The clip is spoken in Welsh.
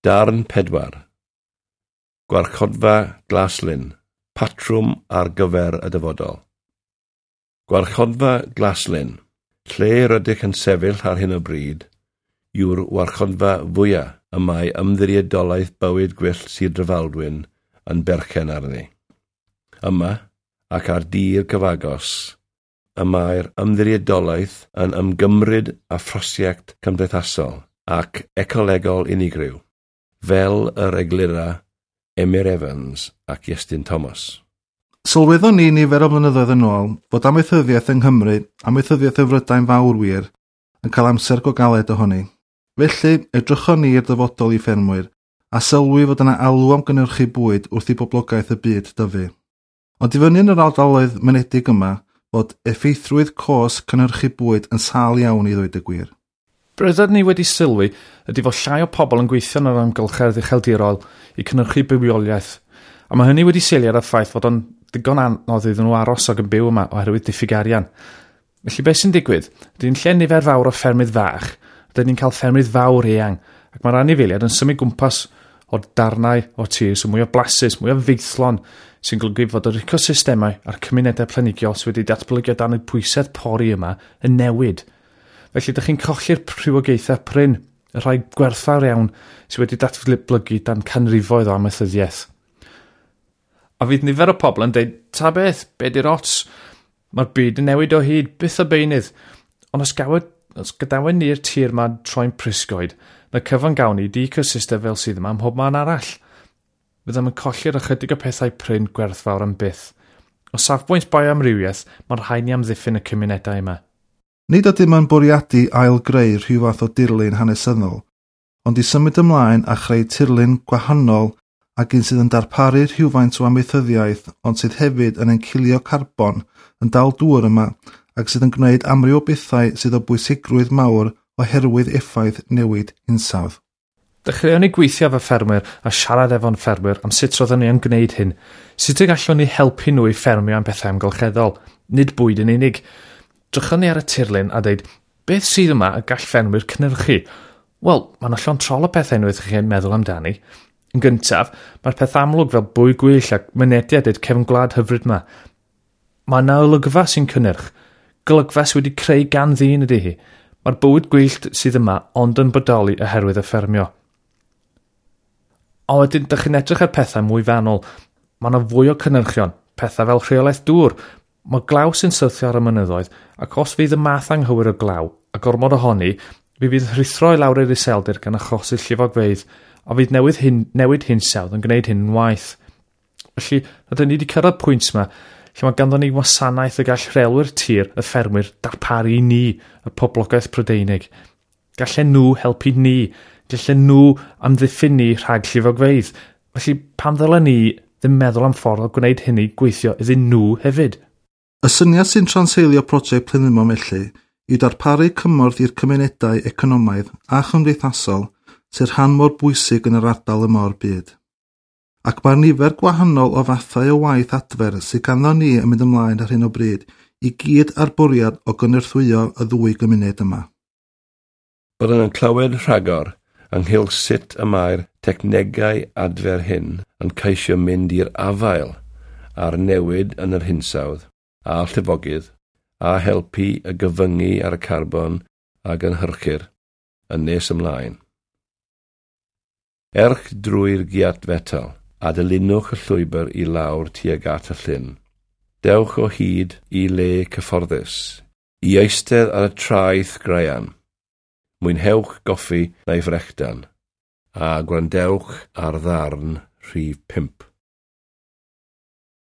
Darn 4. Gwarchodfa Glaslyn, patrwm ar gyfer y dyfodol. Gwarchodfa Glaslyn, lle rydych yn sefyll ar hyn o bryd, yw'r warchodfa fwyaf y mae Ymddiriedolaeth Bywyd Gwyllt Sir Drefaldwyn yn berchen arni. Yma, ac ar dir cyfagos, y mae'r ymddiriedolaeth yn ymgymryd â phrosiect cymdeithasol ac ecolegol unigryw, fel yr eglura Emyr Evans ac Iestyn Thomas. Sylweddon ni nifer o flynyddoedd yn ôl fod amaethyddiaeth yng Nghymru, amaethyddiaeth y Frydain fawr wir, yn cael amser go galed ohoni. Felly, edrychon ni i'r dyfodol i ffermwyr, a sylwi fod yna alw am gynhyrchu bwyd wrth i boblogaeth y byd dyfu. Ond i fyny yn yr ardaloedd mynedig yma, fod effeithrwydd cos cynhyrchu bwyd yn sâl iawn i ddweud y gwir. Be ni wedi sylwi ydy fod llai o pobl yn gweithio yn yr amgylchedd ucheldirol i cynhyrchu bywioliaeth, a mae hynny wedi seilio ar y ffaith fod o'n ddigon anodd iddyn nhw aros ac yn byw yma oherwydd diffyg arian. Felly beth sy'n digwydd? Ydy'n lle nifer fawr o ffermydd fach, rydyn ni'n cael ffermydd fawr eang, ac mae'r anifeiliaid yn symud gwmpas o'r darnau o tir sy'n mwy o blasus, mwy o feithlon, sy'n golygu fod yr ecosystemau a'r cymunedau planigiol sydd wedi datblygu o dan y pwysedd pori yma yn newid. Felly ydych chi'n colli'r rhywogaethau prin, y rhai gwerthfawr iawn sydd wedi datblygu dan canrifoedd o amaethyddiaeth. A fydd nifer o pobl yn dweud, ta beth, be di'r ots? Mae'r byd yn newid o hyd, byth o beunydd. Ond os, gawyd, os gadawen ni'r tir ma troi'n prisgoed, na cyfan gawn ni di ecosystem fel sydd yma ym mhob man arall. Fyddem yn colli'r ychydig o pethau prin gwerthfawr am byth. O safbwynt bioamrywiaeth, mae'n rhaid ni amddiffyn y cymunedau yma. Nid ydym yn bwriadu ail-greu rhyw fath o dirlun hanesyddol, ond i symud ymlaen a chreu tirlun gwahanol ac un sydd yn darparu rhywfaint o amaethyddiaeth ond sydd hefyd yn encilio carbon, yn dal dŵr yma ac sydd yn gwneud amryw o bethau sydd o bwysigrwydd mawr oherwydd effaith newid hinsawdd. Dechreuon ni gweithio efo ffermwyr a siarad efo'n ffermwyr am sut roedden ni yn gwneud hyn. Sut y gallwn ni helpu nhw i ffermio am bethau amgylcheddol, nid bwyd yn unig. Drychon ni ar y tirlun a dweud, beth sydd yma y gall ffermwyr cynhyrchu? Wel, mae yna llond trol o pethau unwaith chi'n meddwl amdani. Yn gyntaf, mae'r peth amlwg fel bwyd gwyll ac mynediad i'r cefn gwlad hyfryd yma. Mae yna olygfa sy'n cynnyrch. Golygfa sydd wedi creu gan ddyn ydy hi. Mae'r bywyd gwyllt sydd yma ond yn bodoli oherwydd y ffermio. A wedyn, dych chi'n edrych ar pethau mwy fanwl. Mae yna fwy o cynhyrchion, pethau fel rheolaeth dŵr. Mae glaw sy'n syrthio ar y mynyddoedd, ac os fydd y math anghywir o glaw, a gormod ohoni, fi fydd rhuthro i lawr i'r iseldir gan achosi llifogfeydd, a fydd newid, hyn, newid hinsawdd yn gwneud hyn yn waeth. Felly, rydyn ni wedi cyrraedd pwynt yma lle mae ganddo ni wasanaeth y gall rheolwyr tir y ffermwyr darparu i ni, y poblogaeth Prydeinig. Gallen nhw helpu ni, gallen nhw amddiffyn ni rhag llifogfeydd. Felly, pam ddylen ni ddim meddwl am ffordd o gwneud hynny gweithio iddyn nhw hefyd? Y syniad sy'n transeilio prosiect Plynlimon felly yw darparu cymorth i'r cymunedau economaidd a chymdeithasol sy'n rhan mor bwysig yn yr ardal yma o'r byd. Ac mae'r nifer gwahanol o fathau o waith adfer sydd ganddo ni yn mynd ymlaen ar hyn o bryd i gyd ar bwriad o gynorthwyo y ddwy gymuned yma. Byddwn yn clywed rhagor ynghylch sut y mae'r technegau adfer hyn yn ceisio mynd i'r afael a'r newid yn yr hinsawdd a llifogydd a helpu y gyfyngu ar y carbon a gynhyrchir yn nes ymlaen. Erch drwy'r giat fetel a dilynwch y llwybr i lawr tuag at y llyn. Dewch o hyd i le cyfforddus, i eistedd ar y traeth graean. Mwynhewch goffi neu frechdan, a gwrandewch ar ddarn rhif 5.